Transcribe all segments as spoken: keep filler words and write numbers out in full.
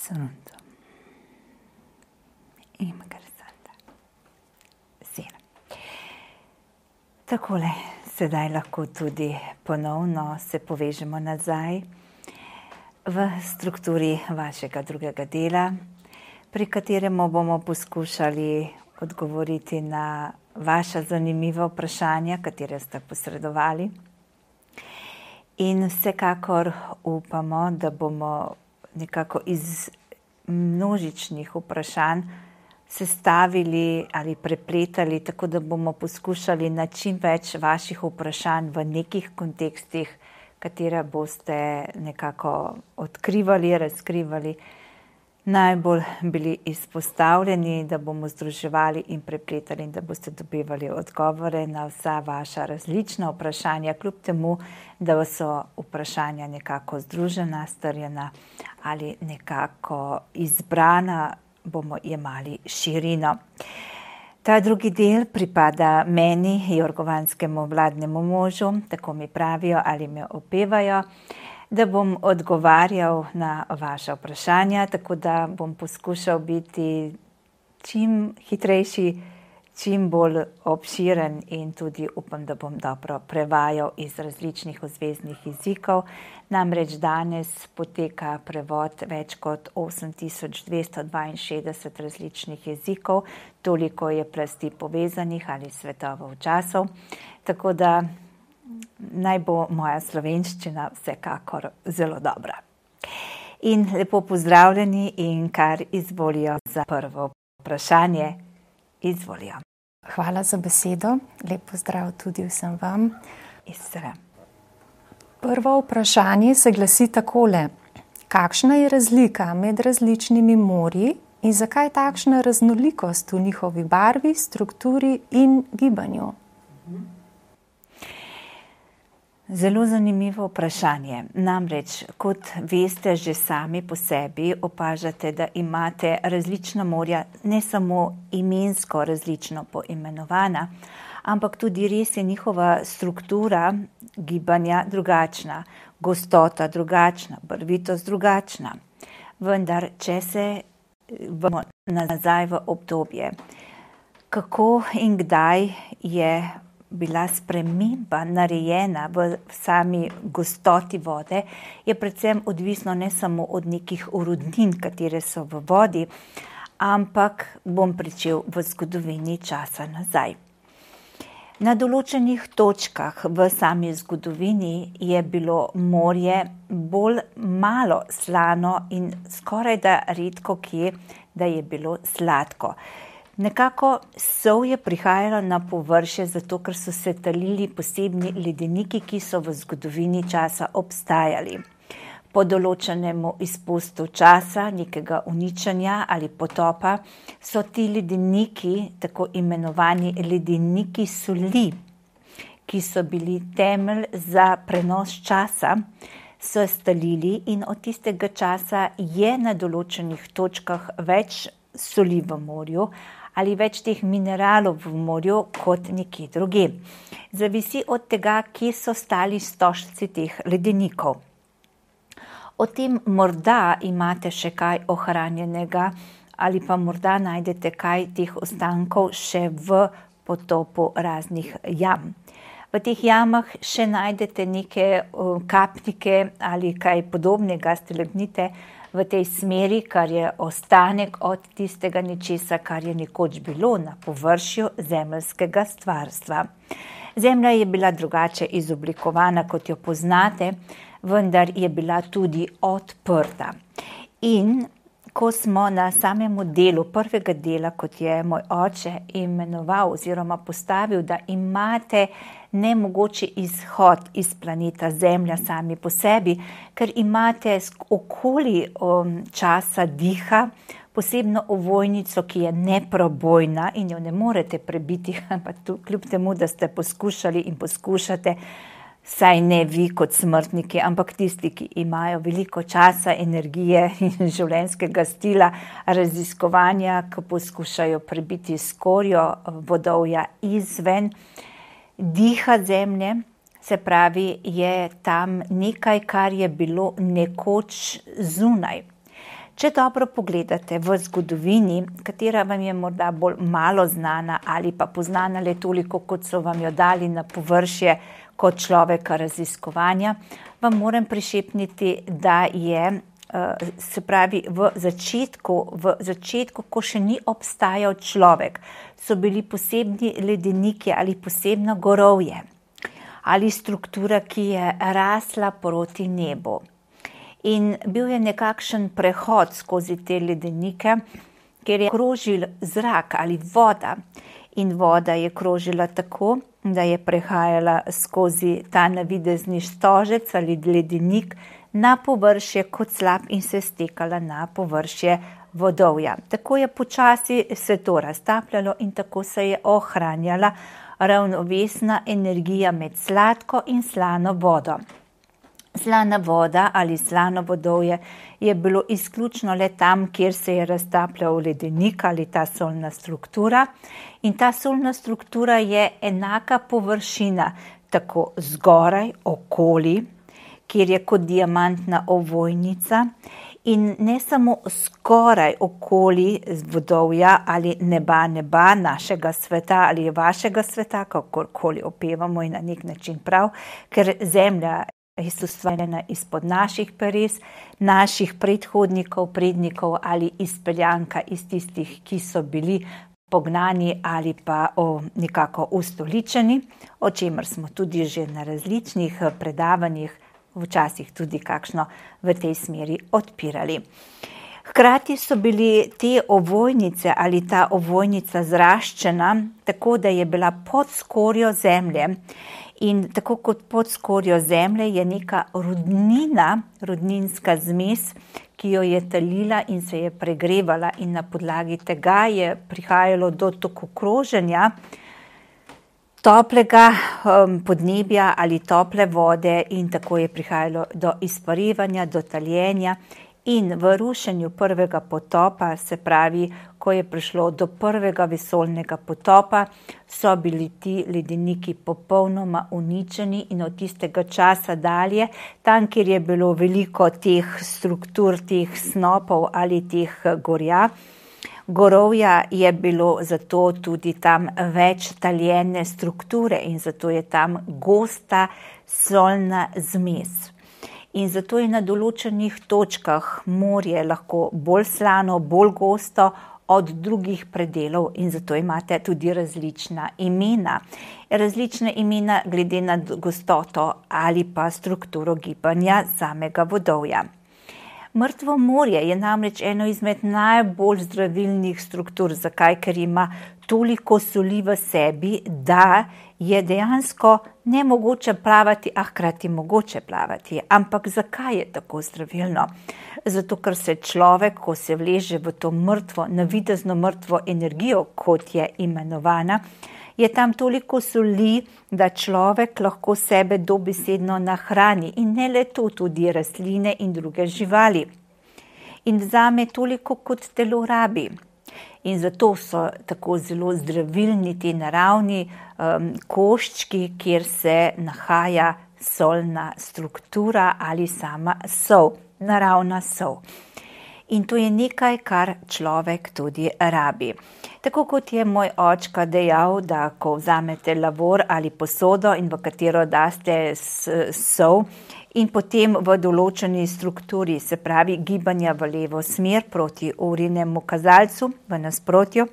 Sono interessante. Sena. Takole, sedaj lahko tudi ponovno se povežemo nazaj v strukturi vašega drugega dela, pri katerem bomo poskušali odgovoriti na vaša zanimiva vprašanja, katere ste posredovali. In vsekakor upamo, da bomo nekako iz množičnih vprašanj sestavili ali prepletali, tako da bomo poskušali na čim več vaših vprašanj v nekih kontekstih, katera boste nekako odkrivali, razkrivali, najbolj bili izpostavljeni, da bomo združevali in prepletali in da boste dobivali odgovore na vsa vaša različna vprašanja, kljub temu, da so vprašanja nekako združena, strjena ali nekako izbrana, bomo jemali širino. Ta drugi del pripada meni, jorgovanskemu vladnemu možu, tako mi pravijo ali me opevajo, da bom odgovarjal na vaša vprašanja, tako da bom poskušal biti čim hitrejši, čim bolj obširen in tudi upam, da bom dobro prevajal iz različnih ozveznih jezikov. Namreč danes poteka prevod več kot osem tisoč dvesto dvainšestdeset različnih jezikov, toliko je plasti povezanih ali svetovov časov, tako da naj bo moja slovenščina vsekakor zelo dobra. In lepo pozdravljeni in kar izvolijo za prvo vprašanje, izvolijo. Hvala za besedo, lep pozdrav tudi vsem vam. Istra. Prvo vprašanje se glasi takole. Kakšna je razlika med različnimi morji in zakaj takšna raznolikost v njihovi barvi, strukturi in gibanju? Zelo zanimivo vprašanje. Namreč, kot veste že sami po sebi, opažate, da imate različna morja, ne samo imensko različno poimenovana, ampak tudi res je njihova struktura gibanja drugačna, gostota drugačna, barvitost drugačna. Vendar, če se vrnemo nazaj v obdobje, kako in kdaj je bila sprememba narejena v sami gostoti vode, je predvsem odvisno ne samo od nekih urodnin, katere so v vodi, ampak bom pričel v zgodovini časa nazaj. Na določenih točkah v sami zgodovini je bilo morje bolj malo slano in skoraj da redko kje, da je bilo sladko. Nekako sol je prihajala na površje, zato ker so se talili posebni ledeniki, ki so v zgodovini časa obstajali. Po določenemu izpustu časa, nekega uničenja ali potopa, so ti ledeniki, tako imenovani ledeniki soli, ki so bili temelj za prenos časa, so stalili in od tistega časa je na določenih točkah več soli v morju, ali več teh mineralov v morju kot nekje drugje. Zavisi od tega, kje so stali stožci teh ledenikov. O tem morda imate še kaj ohranjenega ali pa morda najdete kaj teh ostankov še v potopu raznih jam. V teh jamah še najdete neke kapnike ali kaj podobnega, stalagmite, v tej smeri, kar je ostanek od tistega nečesa, kar je nekoč bilo na površju zemeljskega stvarstva. Zemlja je bila drugače izoblikovana, kot jo poznate, vendar je bila tudi odprta. In ko smo na samem delu prvega dela, kot je moj oče imenoval oziroma postavil, da imate nemogoči izhod iz planeta Zemlja sami po sebi, ker imate okoli um, časa diha posebno ovojnico, ki je neprobojna in jo ne morete prebiti, pa tu, kljub temu, da ste poskušali in poskušate, saj ne vi kot smrtniki, ampak tisti, ki imajo veliko časa, energije in življenjskega stila, raziskovanja, ki poskušajo prebiti skorjo vodovja izven diha zemlje, se pravi, je tam nekaj, kar je bilo nekoč zunaj. Če dobro pogledate v zgodovini, katera vam je morda bolj malo znana ali pa poznana le toliko, kot so vam jo dali na površje kot človeka raziskovanja, vam moram prišepniti, da je, se pravi, v začetku, v začetku, ko še ni obstajal človek, so bili posebni ledeniki ali posebno gorovje ali struktura, ki je rasla proti nebu. In bil je nekakšen prehod skozi te ledenike, kjer je krožil zrak ali voda. In voda je krožila tako, da je prehajala skozi ta navidezni stožec ali ledenik na površje kot slap in se stekala na površje vodovja. Tako je počasi se to raztapljalo in tako se je ohranjala ravnovesna energija med sladko in slano vodo. Slana voda ali slano vodovje je bilo izključno le tam, kjer se je raztapljal ledenik ali ta solna struktura. In ta solna struktura je enaka površina tako zgoraj, okoli, kjer je kot diamantna ovojnica. In ne samo skoraj okoli vodovja ali neba, neba našega sveta ali vašega sveta, kakorkoli opevamo in na nek način prav, ker zemlja je ustvarjena izpod naših peres, naših predhodnikov, prednikov ali izpeljanka iz tistih, ki so bili pognani ali pa o, nekako ustoličeni, o čemer smo tudi že na različnih predavanjih, včasih tudi kakšno v tej smeri odpirali. Hkrati so bili te ovojnice ali ta ovojnica zraščena, tako da je bila pod skorjo zemlje. In tako kot pod skorjo zemlje je neka rudnina, rudninska zmes, ki jo je talila in se je pregrevala in na podlagi tega je prihajalo do toku kroženja toplega um, podnebja ali tople vode in tako je prihajalo do izparevanja, do taljenja. In v rušenju prvega potopa, se pravi, ko je prišlo do prvega vesoljnega potopa, so bili ti ledeniki popolnoma uničeni in od tistega časa dalje, tam, kjer je bilo veliko teh struktur, teh snopov ali teh gorja, gorovja, je bilo zato tudi tam več taljene strukture in zato je tam gosta solna zmes. In zato je na določenih točkah morje lahko bolj slano, bolj gosto od drugih predelov in zato imate tudi različna imena. Različna imena glede na gostoto ali pa strukturo gibanja samega vodovja. Mrtvo morje je namreč eno izmed najbolj zdravilnih struktur. Zakaj? Ker ima toliko soli v sebi, da je dejansko nemogoče plavati, a hkrati mogoče plavati. Ampak zakaj je tako zdravilno? Zato, ker se človek, ko se vleže v to mrtvo, navidezno mrtvo energijo, kot je imenovana, je tam toliko soli, da človek lahko sebe dobesedno nahrani in ne le to, tudi rastline in druge živali. In vzame toliko, kot telo rabi. In zato so tako zelo zdravilni ti naravni um, koščki, kjer se nahaja solna struktura ali sama sol, naravna sol. In to je nekaj, kar človek tudi rabi. Tako kot je moj očka dejal, da ko vzamete lavor ali posodo in v katero daste sol in potem v določeni strukturi, se pravi gibanja v levo smer proti urinemu kazalcu v nasprotju,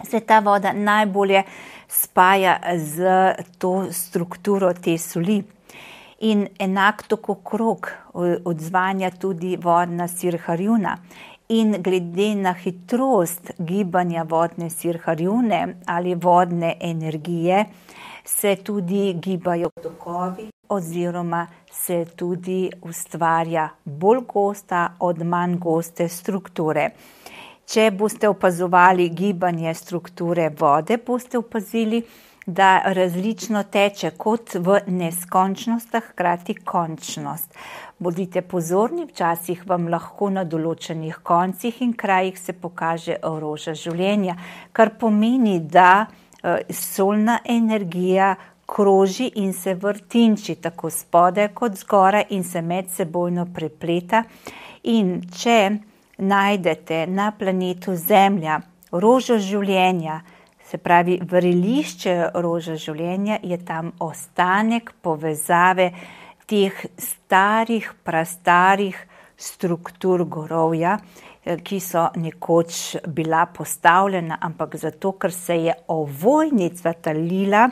se ta voda najbolje spaja z to strukturo te soli. In enak tako krog odzvanja tudi vodna sirharjuna. In glede na hitrost gibanja vodne sirharjune ali vodne energije se tudi gibajo tokovi oziroma se tudi ustvarja bolj gosta od manj goste strukture. Če boste opazovali gibanje strukture vode, boste opazili, da različno teče kot v neskončnost, a hkrati končnost. Bodite pozorni, včasih vam lahko na določenih koncih in krajih se pokaže roža življenja, kar pomeni, da solna energija kroži in se vrtinči tako spodaj kot zgoraj in se medsebojno prepleta. In če najdete na planetu Zemlja rožo življenja, se pravi vrelišče roža življenja, je tam ostanek povezave teh starih, prastarih struktur gorovja, ki so nekoč bila postavljena, ampak zato, ker se je ovojnica talila,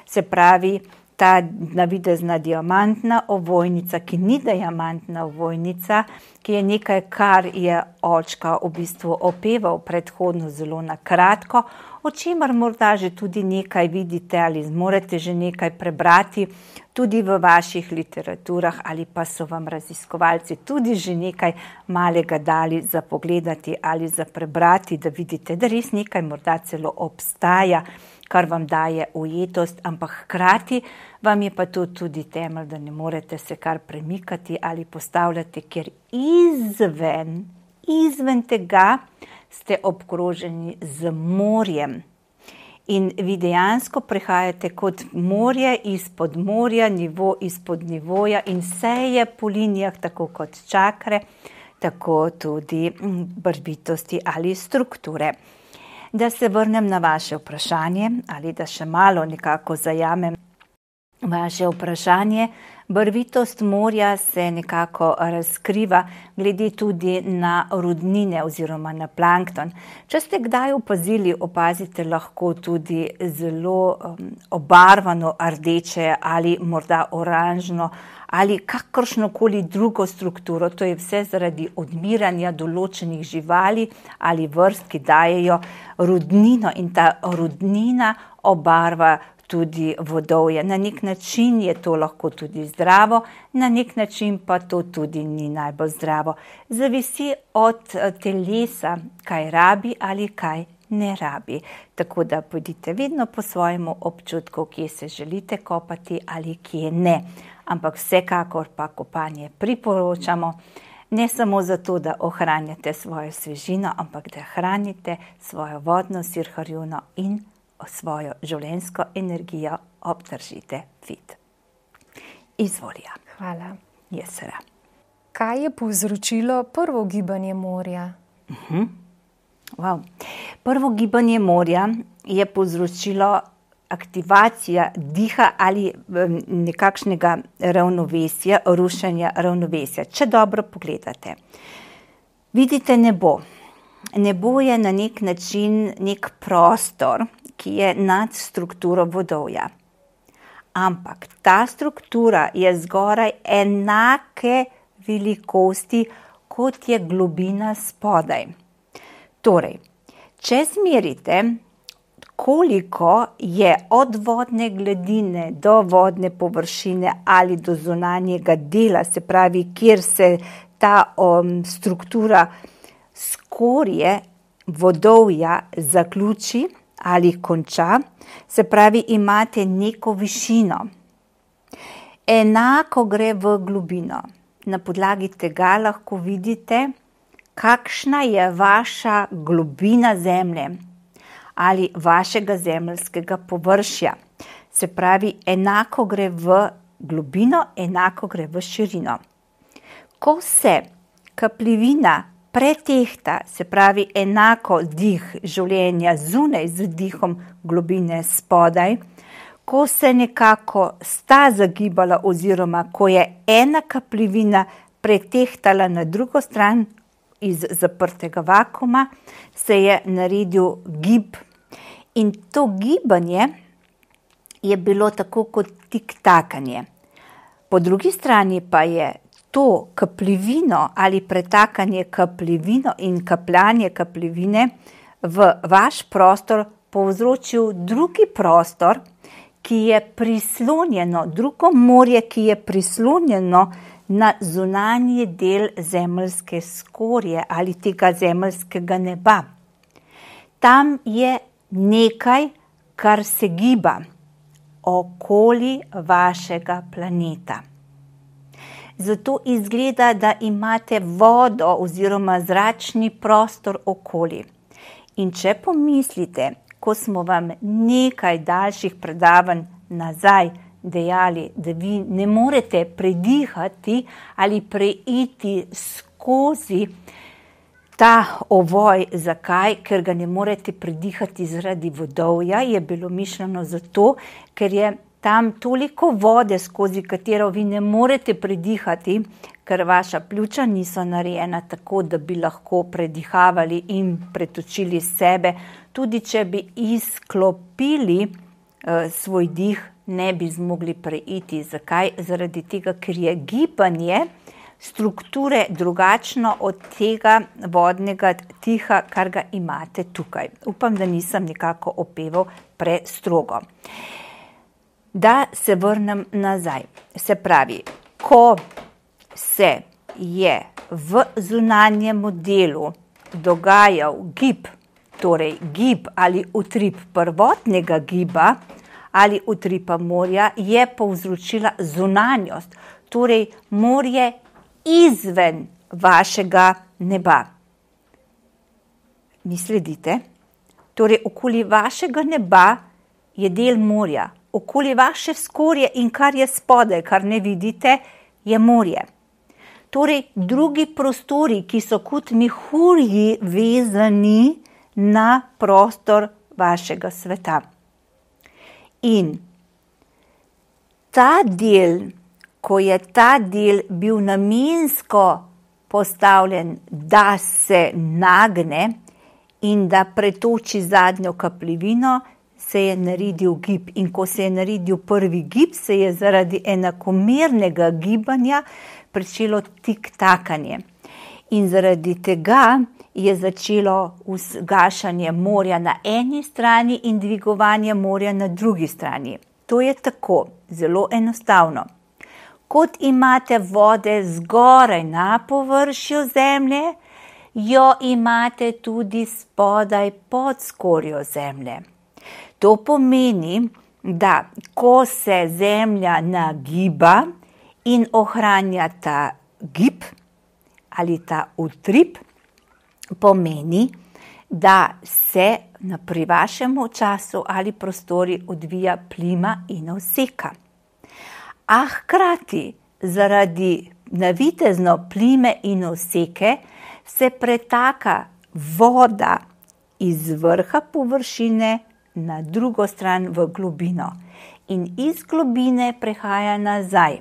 se pravi ta navidezna diamantna ovojnica, ki ni diamantna ovojnica, ki je nekaj, kar je očka v bistvu opeval predhodno zelo na kratko, o čemer morda že tudi nekaj vidite ali zmorete že nekaj prebrati tudi v vaših literaturah ali pa so vam raziskovalci tudi že nekaj malega dali za pogledati ali za prebrati, da vidite, da res nekaj morda celo obstaja, kar vam daje ujetost, ampak hkrati vam je pa to tudi temelj, da ne morete se kar premikati ali postavljati, ker izven, izven tega ste obkroženi z morjem. In vi dejansko prehajate kot morje izpod morja, nivo izpod nivoja in vse je po linijah, tako kot čakre, tako tudi barvitosti ali strukture. Da se vrnem na vaše vprašanje ali da še malo nekako zajamem vaše vprašanje. Barvitost morja se nekako razkriva glede tudi na rudnine oziroma na plankton. Če ste kdaj opazili, opazite lahko tudi zelo um, obarvano rdeče ali morda oranžno ali kakršnokoli drugo strukturo. To je vse zaradi odmiranja določenih živali ali vrst, ki dajejo rudnino in ta rudnina obarva tudi vodovje. Na nek način je to lahko tudi zdravo, na nek način pa to tudi ni najbolj zdravo. Zavisi od telesa, kaj rabi ali kaj ne rabi. Tako da pojdite vedno po svojemu občutku, kje se želite kopati ali kje ne. Ampak vsekakor pa kopanje priporočamo, ne samo zato, da ohranjate svojo svežino, ampak da hranite svojo vodno sirharjuno in svojo življenjsko energijo obdržite fit. Izvolja. Hvala. Jesera. Kaj je povzročilo prvo gibanje morja? Uh-huh. Wow. Prvo gibanje morja je povzročilo aktivacija diha ali nekakšnega ravnovesja, rušenja ravnovesja. Če dobro pogledate, vidite nebo. Nebo je na nek način nek prostor, ki je nad strukturo vodovja. Ampak ta struktura je zgoraj enake velikosti, kot je globina spodaj. Torej, če zmerite, koliko je od vodne gladine do vodne površine ali do zunanjega dela, se pravi, kjer se ta um, struktura skorje vodovja zaključi ali konča, se pravi, imate neko višino. Enako gre v globino. Na podlagi tega lahko vidite, kakšna je vaša globina zemlje ali vašega zemeljskega površja. Se pravi, enako gre v globino, enako gre v širino. Ko se kapljevina pretehta, se pravi enako dih življenja zunaj z dihom globine spodaj, ko se nekako sta zagibala oziroma ko je ena kapljevina pretehtala na drugo stran iz zaprtega vakuma, se je naredil gib. In to gibanje je bilo tako kot tiktakanje. Po drugi strani pa je to kapljevino ali pretakanje kapljevino in kapljanje kapljevine v vaš prostor povzročil drugi prostor, ki je prislonjeno, drugo morje, ki je prislonjeno na zunanji del zemeljske skorje ali tega zemeljskega neba. Tam je nekaj, kar se giba okoli vašega planeta. Zato izgleda, da imate vodo oziroma zračni prostor okoli. In če pomislite, ko smo vam nekaj daljših predavanj nazaj dejali, da vi ne morete predihati ali preiti skozi ta ovoj, zakaj? Ker ga ne morete predihati zaradi vodovja, je bilo mišljeno zato, ker je tam toliko vode, skozi katero vi ne morete predihati, ker vaša pljuča niso narejena tako, da bi lahko predihavali in pretočili sebe. Tudi če bi izklopili uh, svoj dih, ne bi zmogli preiti. Zakaj? Zaradi tega, ker je gibanje strukture drugačno od tega vodnega tiha, kar ga imate tukaj. Upam, da nisem nekako opeval prestrogo. Da se vrnem nazaj. Se pravi, ko se je v zunanjem delu dogajal gib, torej gib ali utrip prvotnega giba ali utripa morja, je povzročila zunanjost, torej morje izven vašega neba. Mi sledite? Torej, okoli vašega neba je del morja. Okoli vaše skorje in kar je spodaj, kar ne vidite, je morje. Torej, drugi prostori, ki so kot mehurji vezani na prostor vašega sveta. In ta del, ko je ta del bil namensko postavljen, da se nagne in da pretoči zadnjo kapljevino, se je naredil gib. In ko se je naredil prvi gib, se je zaradi enakomernega gibanja pričelo tik-takanje. In zaradi tega je začelo gašanje morja na eni strani in dvigovanje morja na drugi strani. To je tako, zelo enostavno. Kot imate vode zgoraj na površju zemlje, jo imate tudi spodaj pod skorjo zemlje. To pomeni, da ko se zemlja nagiba in ohranja ta gib ali ta utrip, pomeni, da se pri vašem času ali prostori odvija plima in oseka. A hkrati zaradi navitezno plime in oseke se pretaka voda iz vrha površine na drugo stran v globino in iz globine prehaja nazaj.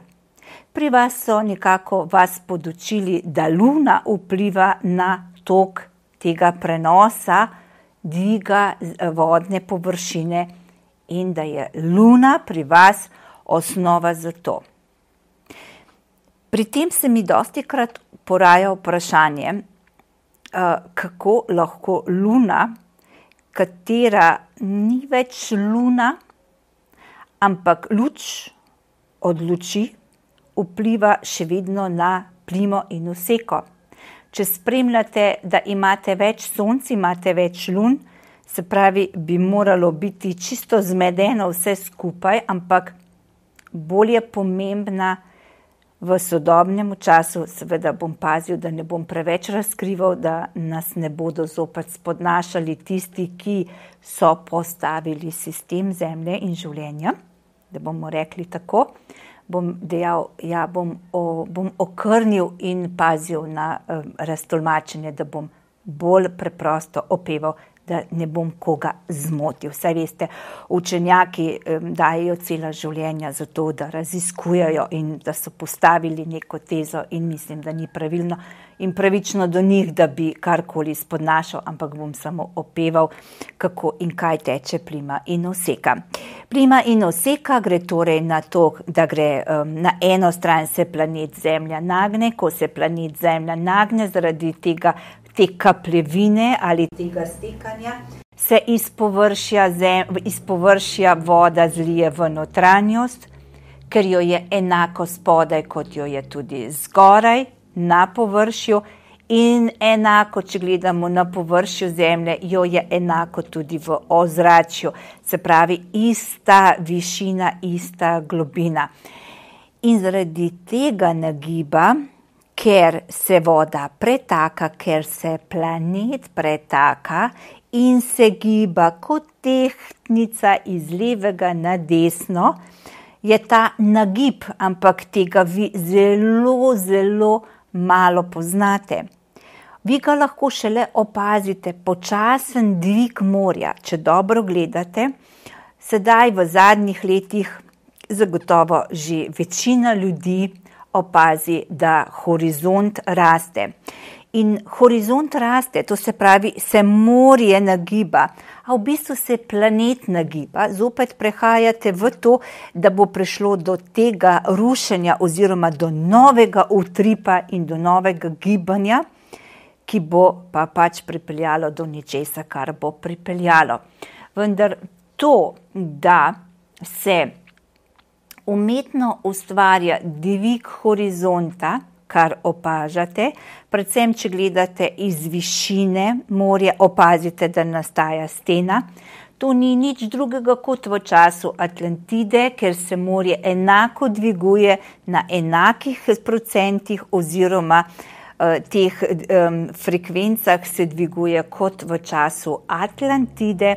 Pri vas so nekako vas podučili, da luna vpliva na tok tega prenosa, dviga vodne površine in da je luna pri vas osnova za to. Pri tem se mi dostikrat poraja vprašanje, kako lahko luna, katera ni več luna, ampak luč od luči, vpliva še vedno na plimo in oseko. Če spremljate, da imate več sonc, imate več lun, se pravi, bi moralo biti čisto zmedeno vse skupaj, ampak bolj je pomembna v sodobnem času. Seveda bom pazil, da ne bom preveč razkrival, da nas ne bodo zopet spodnašali tisti, ki so postavili sistem zemlje in življenja, da bomo rekli tako. Bom dejal, ja, bom, o, bom okrnil in pazil na um, raztolmačenje, da bom bolj preprosto opeval, da ne bom koga zmotil. Saj veste, učenjaki um, dajejo cela življenja za to, da raziskujejo in da so postavili neko tezo in mislim, da ni pravilno in pravično do njih, da bi karkoli spodnašal, ampak bom samo opeval, kako in kaj teče plima in oseka. Plima in oseka gre torej na to, da gre um, na eno stran se planet Zemlja nagne, ko se planet Zemlja nagne zaradi tega, te kapljevine ali tega stekanja, se iz površja, zem, iz površja voda zlije v notranjost, ker jo je enako spodaj, kot jo je tudi zgoraj na površju in enako, če gledamo na površju Zemlje, jo je enako tudi v ozračju. Se pravi, ista višina, ista globina. In zaradi tega nagiba, ker se voda pretaka, ker se planet pretaka in se giba kot tehtnica iz levega na desno, je ta nagib, ampak tega vi zelo, zelo malo poznate. Vi ga lahko šele opazite, počasen dvig morja, če dobro gledate. Sedaj v zadnjih letih zagotovo že večina ljudi opazi, da horizont raste. In horizont raste, to se pravi, se morje nagiba, a v bistvu se planet nagiba. Zopet prehajate v to, da bo prišlo do tega rušenja oziroma do novega utripa in do novega gibanja, ki bo pa pač pripeljalo do ničesa, kar bo pripeljalo. Vendar to, da se umetno ustvarja dvig horizonta, kar opažate, predvsem, če gledate iz višine morja, opazite, da nastaja stena. To ni nič drugega kot v času Atlantide, ker se morje enako dviguje na enakih procentih oziroma uh, teh um, frekvencah se dviguje kot v času Atlantide.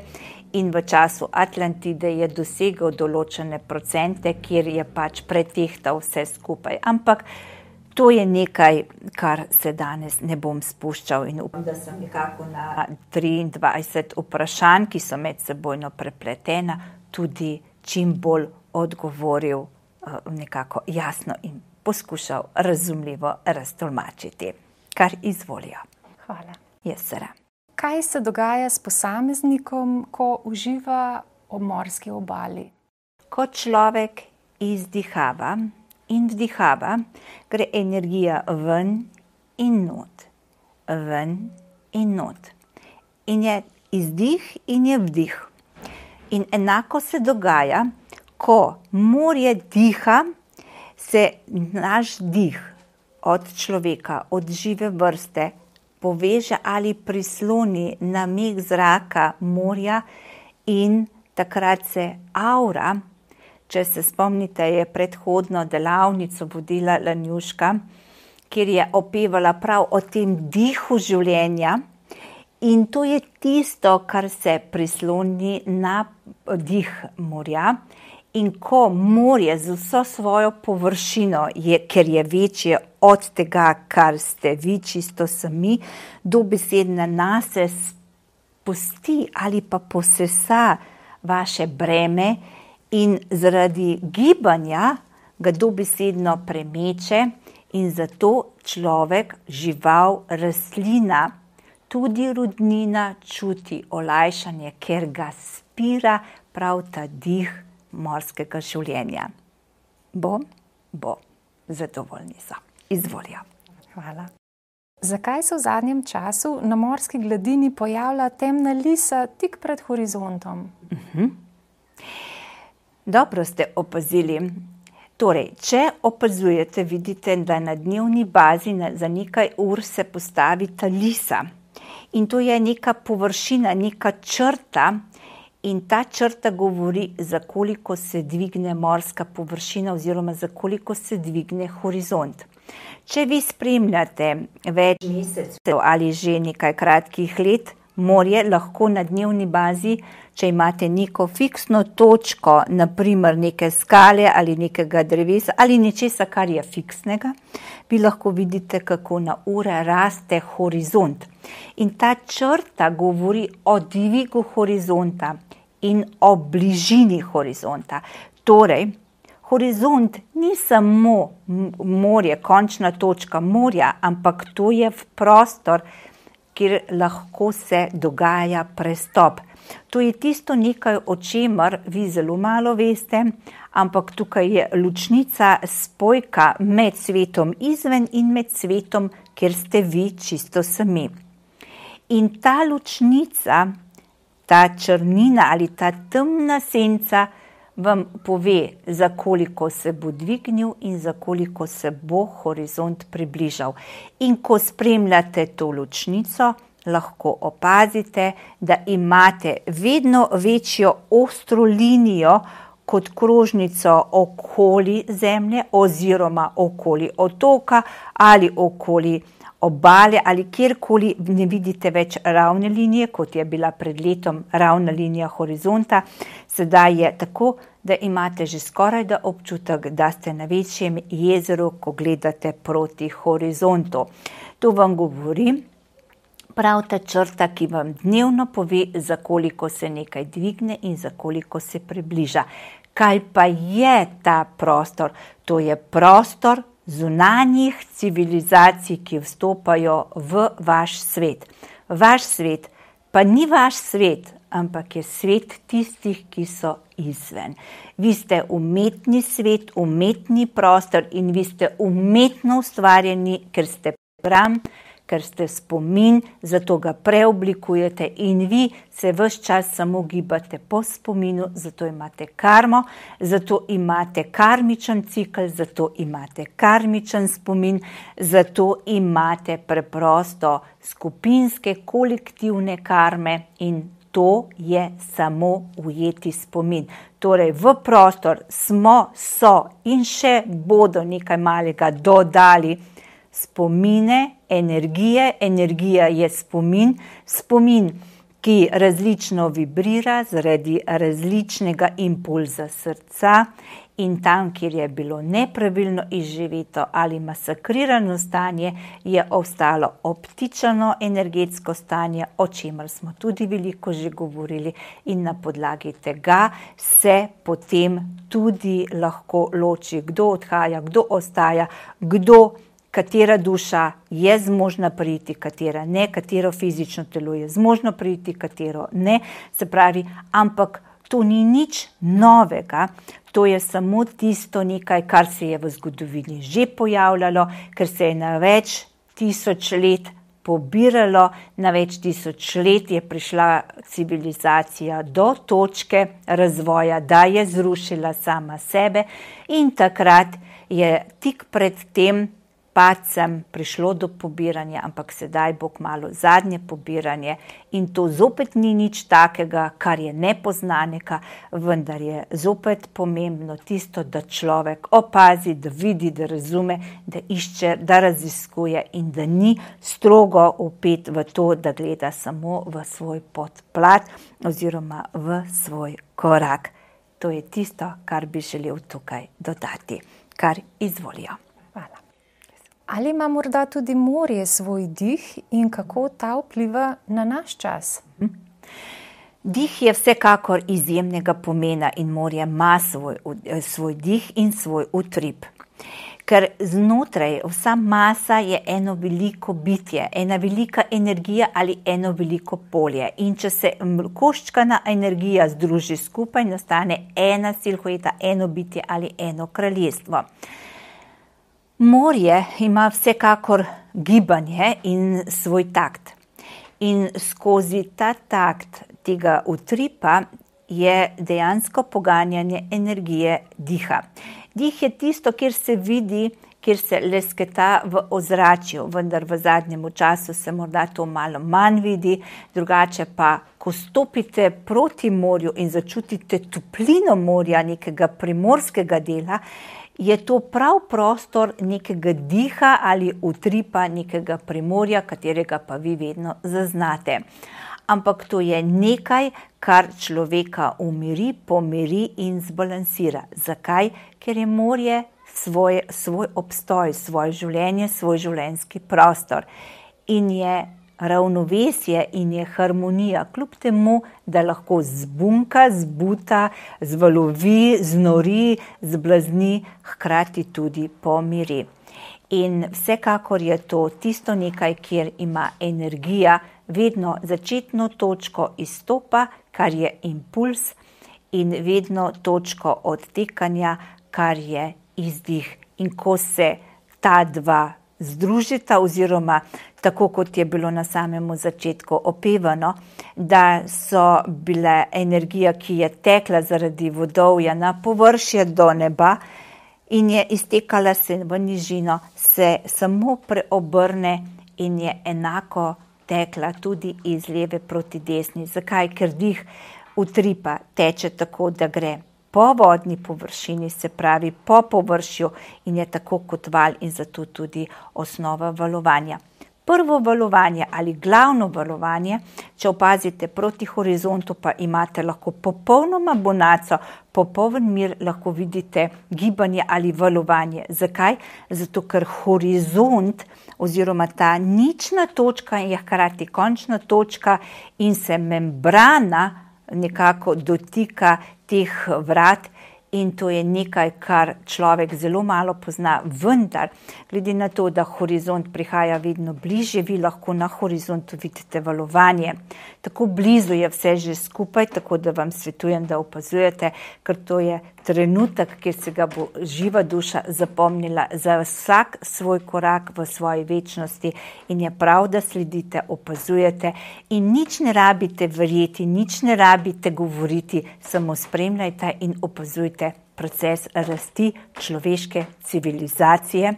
In v času Atlantide je dosegel določene procente, kjer je pač pretehtal vse skupaj. Ampak to je nekaj, kar se danes ne bom spuščal in upam, da sem nekako na triindvajset vprašanj, ki so med sebojno prepletena, tudi čim bolj odgovoril nekako jasno in poskušal razumljivo raztolmačiti. Kar izvolijo. Hvala. Jesera. Kaj se dogaja s posameznikom, ko uživa ob morski obali? Ko človek izdihava in vdihava, gre energija ven in not, ven in not. In je izdih in je vdih. In enako se dogaja, ko morje diha, se naš dih od človeka, od žive vrste, poveže ali prisloni na mig zraka morja in takrat se aura, če se spomnite, je predhodno delavnico vodila Lanjuška, kjer je opevala prav o tem dihu življenja in to je tisto, kar se prisloni na dih morja. In ko morje z vso svojo površino, je, ker je večje od tega, kar ste vi čisto sami, dobesedno nase spusti ali pa posesa vaše breme in zaradi gibanja ga dobesedno premeče in zato človek, žival, rastlina, tudi rudnina čuti olajšanje, ker ga spira prav ta dih morskega življenja. Bo, bo, zadovoljni so. Izvolijo. Hvala. Zakaj se v zadnjem času na morski gladini pojavlja temna lisa tik pred horizontom? Uh-huh. Dobro ste opazili. Torej, če opazujete, vidite, da na dnevni bazi za nekaj ur se postavi ta lisa. In to je neka površina, neka črta, in ta črta govori, za koliko se dvigne morska površina oziroma za koliko se dvigne horizont. Če vi spremljate več mesecev ali že nekaj kratkih let, morje lahko na dnevni bazi, če imate neko fiksno točko, naprimer neke skale ali nekega drevesa ali nečesa, kar je fiksnega, vi lahko vidite, kako na ure raste horizont. In ta črta govori o dvigu horizonta in o bližini horizonta. Torej, horizont ni samo morje, končna točka morja, ampak to je v prostor, kjer lahko se dogaja prestop. To je tisto nekaj, o čemer vi zelo malo veste, ampak tukaj je ločnica, spojka med svetom izven in med svetom, kjer ste vi čisto sami. In ta ločnica, ta črnina ali ta temna senca vam pove, za koliko se bo dvignil in za koliko se bo horizont približal. In ko spremljate to ločnico, lahko opazite, da imate vedno večjo ostro linijo kot krožnico okoli Zemlje oziroma okoli otoka ali okoli obale ali kjerkoli ne vidite več ravne linije, kot je bila pred letom ravna linija horizonta. Sedaj je tako, da imate že skoraj da občutek, da ste na večjem jezeru, ko gledate proti horizontu. To vam govori, prav ta črta, ki vam dnevno pove, za koliko se nekaj dvigne in za koliko se približa. Kaj pa je ta prostor? To je prostor zunanjih civilizacij, ki vstopajo v vaš svet. Vaš svet pa ni vaš svet, ampak je svet tistih, ki so izven. Vi ste umetni svet, umetni prostor in vi ste umetno ustvarjeni, ker ste program, ker ste spomin, zato ga preoblikujete in vi se ves čas samo gibate po spominu, zato imate karmo, zato imate karmičen cikl, zato imate karmičen spomin, zato imate preprosto skupinske, kolektivne karme in to je samo ujeti spomin. Torej v prostor smo, so in še bodo nekaj malega dodali spomine, energije, energija je spomin, spomin, ki različno vibrira zaradi različnega impulza srca in tam, kjer je bilo nepravilno izživeto ali masakrirano stanje, je ostalo optično energetsko stanje, o čemer smo tudi veliko že govorili in na podlagi tega se potem tudi lahko loči, kdo odhaja, kdo ostaja, kdo katera duša je zmožna priti, katera ne, katero fizično telo je zmožno priti, katero ne. Se pravi, ampak to ni nič novega, to je samo tisto nekaj, kar se je v zgodovini že pojavljalo, ker se je na več tisoč let pobiralo, na več tisoč let je prišla civilizacija do točke razvoja, da je zrušila sama sebe in takrat je tik pred tem padcem prišlo do pobiranja, ampak sedaj bo kmalu zadnje pobiranje in to zopet ni nič takega, kar je nepoznanega, vendar je zopet pomembno tisto, da človek opazi, da vidi, da razume, da išče, da raziskuje in da ni strogo vpet v to, da gleda samo v svoj podplat oziroma v svoj korak. To je tisto, kar bi želel tukaj dodati, kar izvolijo. Hvala. Ali ima morda tudi morje svoj dih in kako ta vpliva na naš čas? Dih je vsekakor izjemnega pomena in morje ima svoj, svoj dih in svoj utrip. Ker znotraj vsa masa je eno veliko bitje, ena velika energija ali eno veliko polje. In če se koščkana energija združi skupaj, nastane ena silhueta, eno bitje ali eno kraljestvo. Morje ima vsekakor gibanje in svoj takt. In skozi ta takt tega utripa je dejansko poganjanje energije diha. Dih je tisto, kjer se vidi, kjer se lesketa v ozračju, vendar v zadnjem času se morda to malo manj vidi, drugače pa, ko stopite proti morju in začutite toplino morja, nekega primorskega dela, je to prav prostor nekega diha ali utripa nekega primorja, katerega pa vi vedno zaznate. Ampak to je nekaj, kar človeka umiri, pomiri in zbalansira. Zakaj? Ker je morje svoj, svoj obstoj, svoje življenje, svoj življenjski prostor. In je ravnovesje in je harmonija, kljub temu, da lahko zbunka, zbuta, zvalovi, znori, zblazni, hkrati tudi pomiri. In vsekakor je to tisto nekaj, kjer ima energija vedno začetno točko izstopa, kar je impuls, in vedno točko odtekanja, kar je izdih. In ko se ta dva združita oziroma tako kot je bilo na samem začetku opevano, da so bile energija, ki je tekla zaradi vodovja na površje do neba in je iztekala se v nižino, se samo preobrne in je enako tekla tudi iz leve proti desni. Zakaj? Ker dih utripa teče tako, da gre po vodni površini, se pravi po površju in je tako kot val in zato tudi osnova valovanja. Prvo valovanje ali glavno valovanje, če opazite proti horizontu, pa imate lahko popolnoma bonaco, popoln mir, lahko vidite gibanje ali valovanje. Zakaj? Zato, ker horizont oziroma ta nična točka je hkrati končna točka in se membrana nekako dotika teh vrat. In to je nekaj, kar človek zelo malo pozna, vendar, glede na to, da horizont prihaja vedno bližje, vi lahko na horizontu vidite valovanje. Tako blizu je vse že skupaj, tako da vam svetujem, da opazujete, ker to je trenutek, kjer se ga bo živa duša zapomnila za vsak svoj korak v svoji večnosti in je prav, da sledite, opazujete in nič ne rabite verjeti, nič ne rabite govoriti, samo spremljajte in opazujte proces rasti človeške civilizacije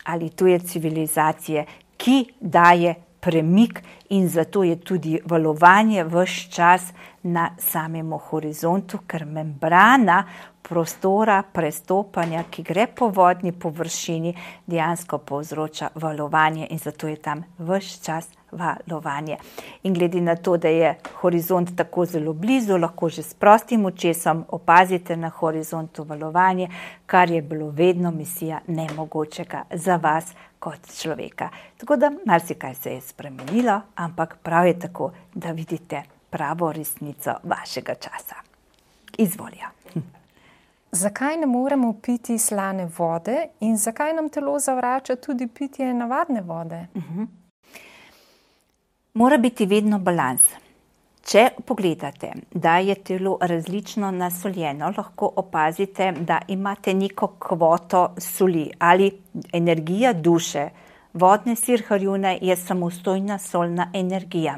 ali tuje civilizacije, ki daje premik in zato je tudi valovanje ves čas na samem horizontu, ker membrana prostora prestopanja, ki gre po vodni površini, dejansko povzroča valovanje in zato je tam ves čas valovanje. In glede na to, da je horizont tako zelo blizu, lahko že s prostim očesom opazite na horizontu valovanje, kar je bilo vedno misija nemogočega za vas kot človeka. Tako da marsikaj se je spremenilo, ampak prav je tako, da vidite pravo resnico vašega časa. Izvolja. Zakaj ne moremo piti slane vode in zakaj nam telo zavrača tudi pitje navadne vode? Uh-huh. Mora biti vedno balans. Če pogledate, da je telo različno nasoljeno, lahko opazite, da imate neko kvoto soli ali energija duše. Vodne sirharjune je samostojna solna energija,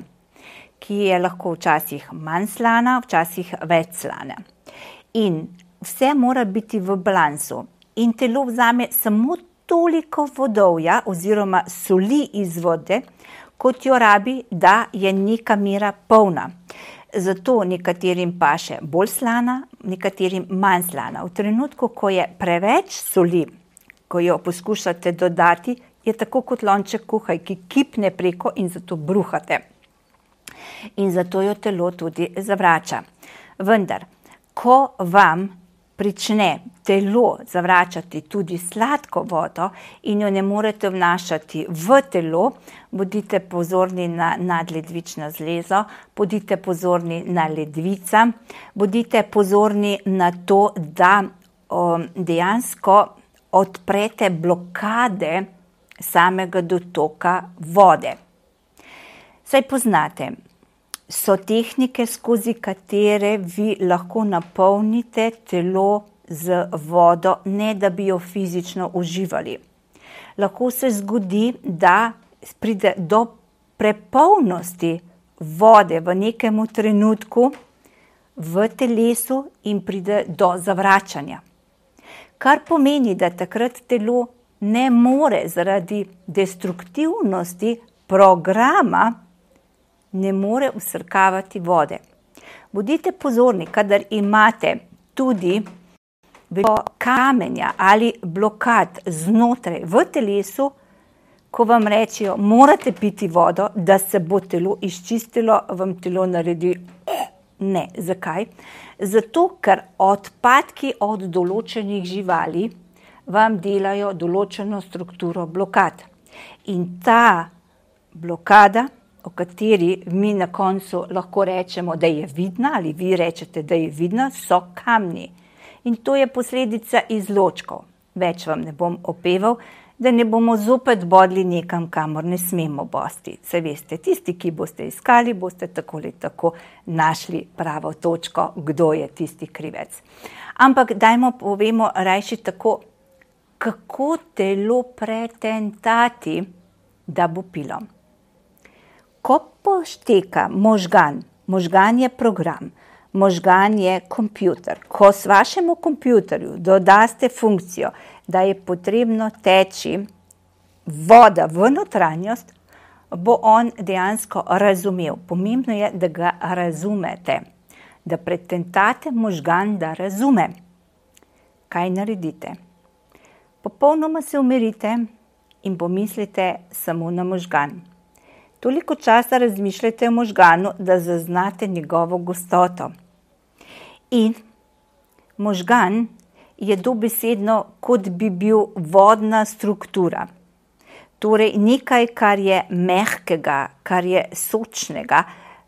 ki je lahko včasih manj slana, včasih več slana. In vse mora biti v balansu in telo vzame samo toliko vodovja oziroma soli iz vode, kot jo rabi, da je neka mera polna. Zato nekaterim paše bolj slana, nekaterim manj slana. V trenutku, ko je preveč soli, ko jo poskušate dodati, je tako kot lonček kuhaj, ki kipne preko in zato bruhate. In zato jo telo tudi zavrača. Vendar, ko vam prične telo zavračati tudi sladko vodo in jo ne morete vnašati v telo, bodite pozorni na nadledvično zlezo, bodite pozorni na ledvica, bodite pozorni na to, da o, dejansko odprete blokade samega dotoka vode. Saj poznate, so tehnike, skozi katere vi lahko napolnite telo z vodo, ne da bi jo fizično uživali. Lahko se zgodi, da pride do prepolnosti vode v nekem trenutku v telesu in pride do zavračanja. Kar pomeni, da takrat telo ne more zaradi destruktivnosti programa ne more vsrkavati vode. Bodite pozorni, kadar imate tudi kamenja ali blokad znotraj v telesu, ko vam rečejo, morate piti vodo, da se bo telo izčistilo, vam telo naredi ne. Zakaj? Zato, ker odpadki od določenih živali vam delajo določeno strukturo blokad. In ta blokada, o kateri mi na koncu lahko rečemo, da je vidna, ali vi rečete, da je vidna, so kamni. In to je posledica izločkov. Več vam ne bom opeval, da ne bomo zopet bodli nekam, kamor ne smemo bosti. Se veste, tisti, ki boste iskali, boste tako ali tako našli pravo točko, kdo je tisti krivec. Ampak dajmo povemo rajši tako, kako telo pretentati, da bo pilo. Ko pošteka možgan, možgan je program, možgan je kompjuter. Ko s vašemu kompjuterju dodaste funkcijo, da je potrebno teči voda v notranjost, bo on dejansko razumel. Pomembno je, da ga razumete, da pretentate možgan, da razume. Kaj naredite? Popolnoma se umirite in pomislite samo na možgan. Toliko časa razmišljajte o možganu, da zaznate njegovo gostoto. In možgan je dobesedno, kot bi bil vodna struktura. Torej nekaj, kar je mehkega, kar je sočnega,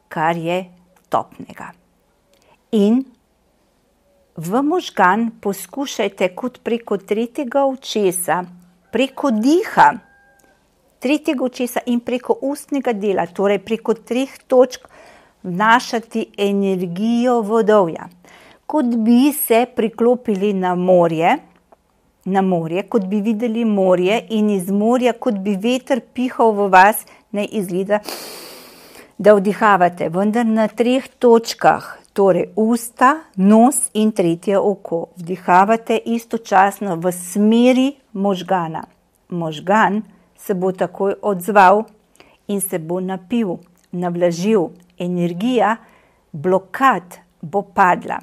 kar je topnega. In v možgan poskušajte kot preko tretjega očesa, preko diha, tretjega očesa in preko ustnega dela, torej preko treh točk vnašati energijo vodovja. Kot bi se priklopili na morje, na morje, kot bi videli morje in iz morja, kot bi veter pihal v vas, ne izgleda, da vdihavate, vendar na treh točkah, torej usta, nos in tretje oko. Vdihavate istočasno v smeri možgana. Možgan se bo takoj odzval in se bo napil, navlažil. Energija blokad bo padla.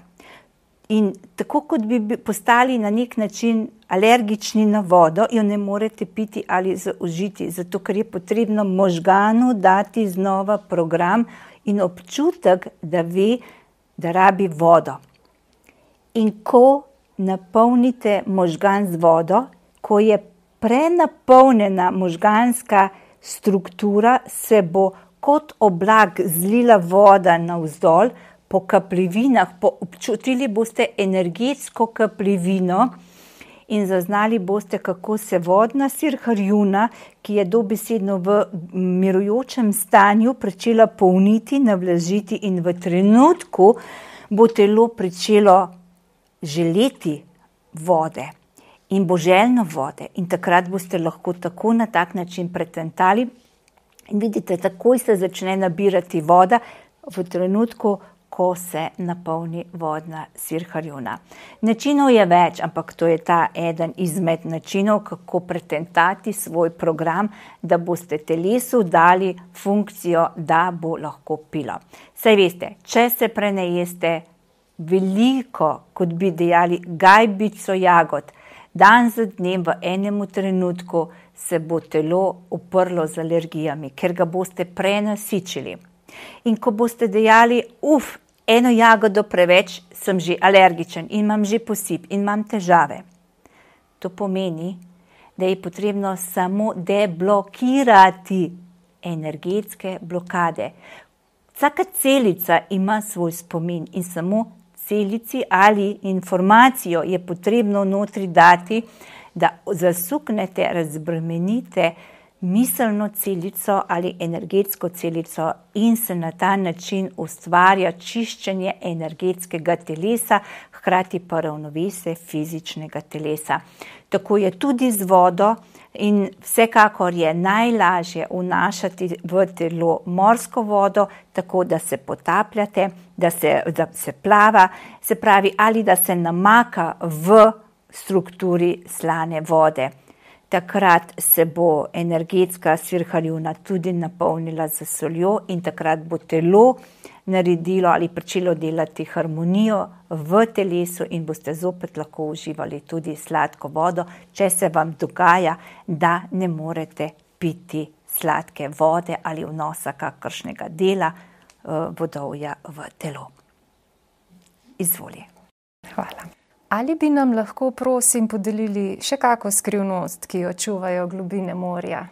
In tako kot bi postali na nek način alergični na vodo, jo ne morete piti ali zaužiti, zato ker je potrebno možganu dati znova program in občutek, da ve, da rabi vodo. In ko napolnite možgan z vodo, ko je prenapolnjena možganska struktura, se bo kot oblak zlila voda navzdol, po kapljivinah, po občutili boste energetsko kapljivino in zaznali boste, kako se vodna sirharjuna, ki je dobesedno v mirujočem stanju, pričela polniti, navlažiti in v trenutku bo telo pričelo želeti vode in bo željno vode. In takrat boste lahko tako na tak način pretentali in vidite, takoj se začne nabirati voda v trenutku, ko se napolni vodna sirharjuna. Načinov je več, ampak to je ta eden izmed načinov, kako pretentati svoj program, da boste telesu dali funkcijo, da bo lahko pilo. Saj veste, če se prenejeste veliko, kot bi dejali, gajbico jagod, dan za dnem v enemu trenutku se bo telo uprlo z alergijami, ker ga boste prenasičili. In ko boste dejali, uf, eno jagodo preveč, sem že alergičen in imam že posip in imam težave. To pomeni, da je potrebno samo deblokirati energetske blokade. Vsaka celica ima svoj spomin in samo celici ali informacijo je potrebno notri dati, da zasuknete, razbremenite miselno celico ali energetsko celico in se na ta način ustvarja čiščenje energetskega telesa, hkrati pa ravnovesje fizičnega telesa. Tako je tudi z vodo in vsekakor je najlažje vnašati v telo morsko vodo, tako da se potapljate, da se, da se plava, se pravi ali da se namaka v strukturi slane vode. Takrat se bo energetska sirharjuna tudi napolnila z soljo in takrat bo telo naredilo ali pričelo delati harmonijo v telesu in boste zopet lahko uživali tudi sladko vodo, če se vam dogaja, da ne morete piti sladke vode ali vnosa kakršnega dela vodovja v telo. Izvoli. Hvala. Ali bi nam lahko, prosim, podelili še kako skrivnost, ki jo čuvajo globine morja?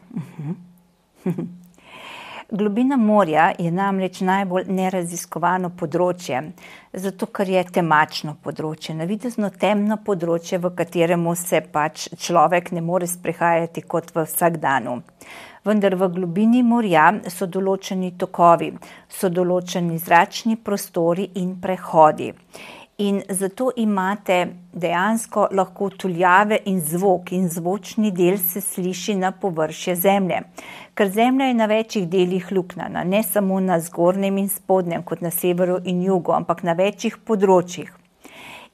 Globina morja je namreč najbolj neraziskovano področje, zato ker je temačno področje, navidezno temno področje, v kateremu se pač človek ne more sprehajati kot v vsakdanu. Vendar v globini morja so določeni tokovi, so določeni zračni prostori in prehodi. In zato imate dejansko lahko tuljave in zvok in zvočni del se sliši na površje zemlje. Ker zemlja je na večjih delih luknjana, ne samo na zgornjem in spodnjem, kot na severu in jugu, ampak na večjih področjih.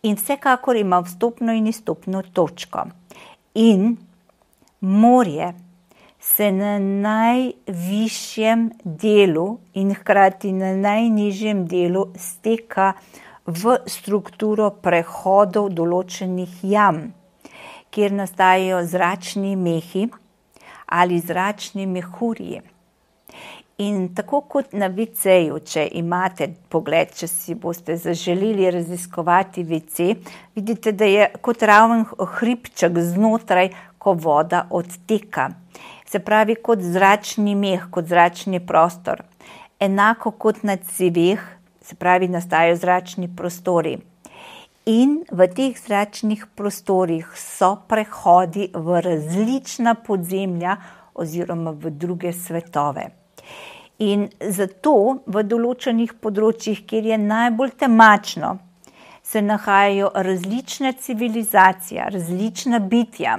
In vsekakor ima vstopno in izstopno točko. In morje se na najvišjem delu in hkrati na najnižjem delu steka v strukturo prehodov določenih jam, kjer nastajajo zračni mehi ali zračni mehurji. In tako kot na ve ceju, če imate pogled, če si boste zaželeli raziskovati ve ce, vidite, da je kot raven hribček znotraj, ko voda odteka. Se pravi, kot zračni meh, kot zračni prostor. Enako kot na ceveh, se pravi, nastajajo zračni prostori. In v teh zračnih prostorih so prehodi v različna podzemlja oziroma v druge svetove. In zato v določenih področjih, kjer je najbolj temačno, se nahajajo različne civilizacije, različna bitja.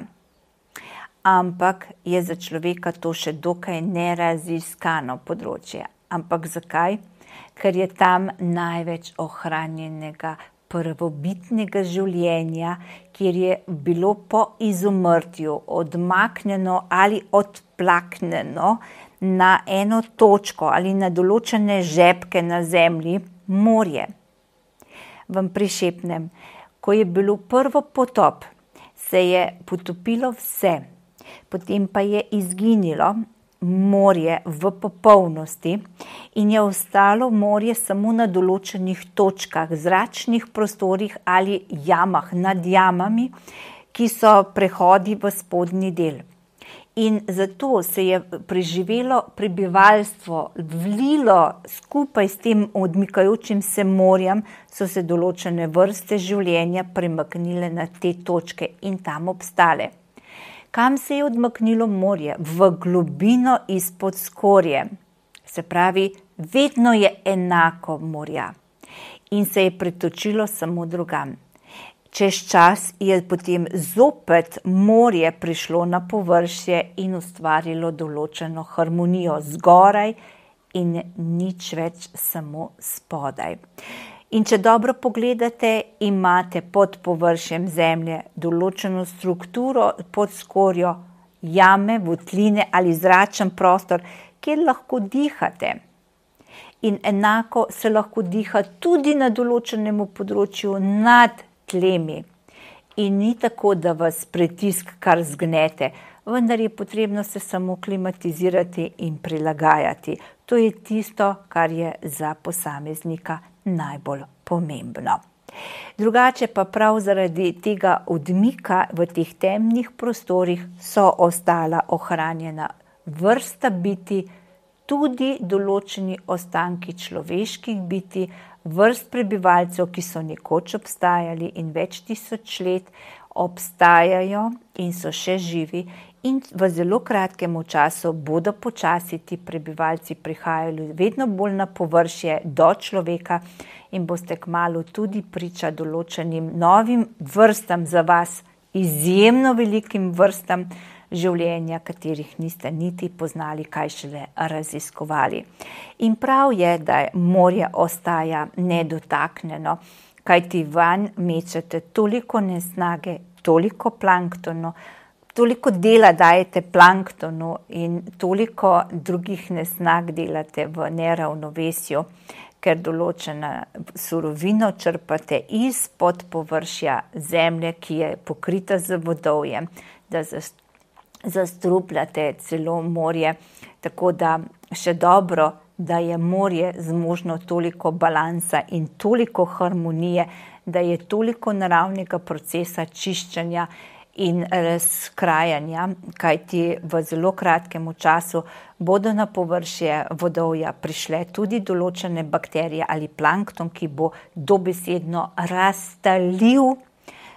Ampak je za človeka to še dokaj neraziskano področje. Ampak zakaj? Ker je tam največ ohranjenega prvobitnega življenja, kjer je bilo po izumrtju odmaknjeno ali odplaknjeno na eno točko ali na določene žepke na zemlji morje. Vam prišepnem, ko je bilo prvo potop, se je potopilo vse, potem pa je izginilo morje v popolnosti in je ostalo morje samo na določenih točkah, zračnih prostorih ali jamah, nad jamami, ki so prehodi v spodnji del. In zato se je preživelo prebivalstvo, vlilo skupaj s tem odmikajočim se morjem, so se določene vrste življenja premaknile na te točke in tam obstale. Kam se je odmaknilo morje? V globino izpod skorje. Se pravi, vedno je enako morja in se je pretočilo samo drugam. Čez čas je potem zopet morje prišlo na površje in ustvarilo določeno harmonijo zgoraj in nič več samo spodaj. In če dobro pogledate, imate pod površjem zemlje določeno strukturo pod skorjo, jame, votline ali zračen prostor, kjer lahko dihate. In enako se lahko diha tudi na določenemu področju nad tlemi. In ni tako, da vas pritisk kar zgnete, vendar je potrebno se samo klimatizirati in prilagajati. To je tisto, kar je za posameznika najbolj pomembno. Drugače pa prav zaradi tega odmika v teh temnih prostorih so ostala ohranjena vrsta biti, tudi določeni ostanki človeških biti, vrst prebivalcev, ki so nekoč obstajali in več tisoč let obstajajo in so še živi in v zelo kratkem času bodo počasi ti prebivalci prihajali vedno bolj na površje do človeka in boste kmalu tudi priča določenim novim vrstam za vas, izjemno velikim vrstam življenja, katerih niste niti poznali, kaj šele raziskovali. In prav je, da morje ostaja nedotaknjeno, kajti vanj mečete toliko nesnage, toliko planktonu, toliko dela dajete planktonu in toliko drugih nesnag delate v neravnovesju, ker določena surovino črpate izpod površja zemlje, ki je pokrita z vodovjem, da zastrupljate celo morje, tako da še dobro, da je morje zmožno toliko balansa in toliko harmonije, da je toliko naravnega procesa čiščenja in razkrajanja, kajti v zelo kratkem času bodo na površje vodovja prišle tudi določene bakterije ali plankton, ki bo dobesedno raztalil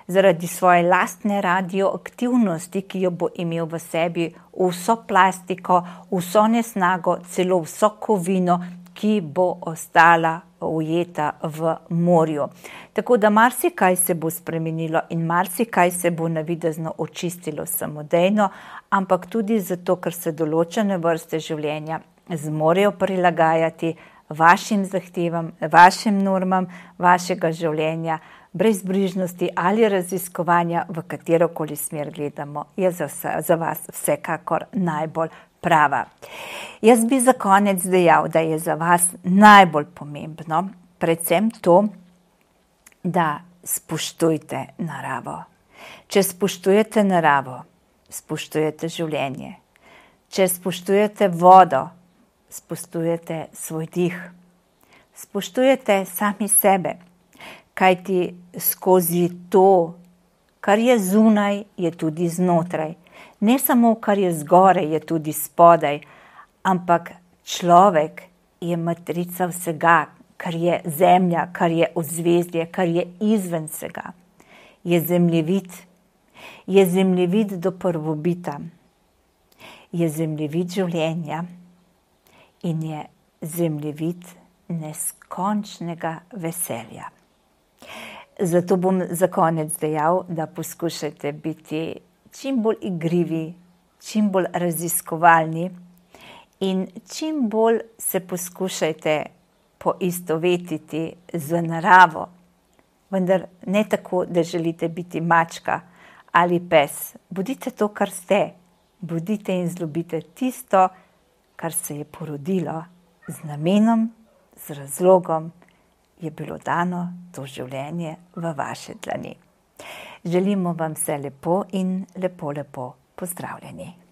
zaradi svoje lastne radioaktivnosti, ki jo bo imel v sebi vso plastiko, vso nesnago, celo vso kovino, ki bo ostala ujeta v morju. Tako da marsikaj se bo spremenilo in marsikaj se bo navidezno očistilo samodejno, ampak tudi zato, ker se določene vrste življenja zmorejo prilagajati vašim zahtevam, vašim normam, vašega življenja, brezbrižnosti ali raziskovanja, v katerokoli smer gledamo, je za, za vas vsekakor najbolj prava. Jaz bi za konec dejal, da je za vas najbolj pomembno predvsem to, da spoštujte naravo. Če spoštujete naravo, spoštujete življenje. Če spoštujete vodo, spoštujete svoj dih, spoštujete sami sebe, kajti skozi to, kar je zunaj, je tudi znotraj. Ne samo, kar je zgoraj, je tudi spodaj, ampak človek je matrica vsega, kar je zemlja, kar je ozvezdje, kar je izven vsega. Je zemljevid, je zemljevid do prvobita, je zemljevid življenja in je zemljevid neskončnega veselja. Zato bom za konec dejal, da poskušajte biti čim bolj igrivi, čim bolj raziskovalni in čim bolj se poskušajte poistovetiti z naravo, vendar ne tako, da želite biti mačka ali pes. Bodite to, kar ste. Bodite in zljubite tisto, kar se je porodilo z namenom, z razlogom, je bilo dano to življenje v vaše dlani. Želimo vam vse lepo in lepo, lepo pozdravljeni.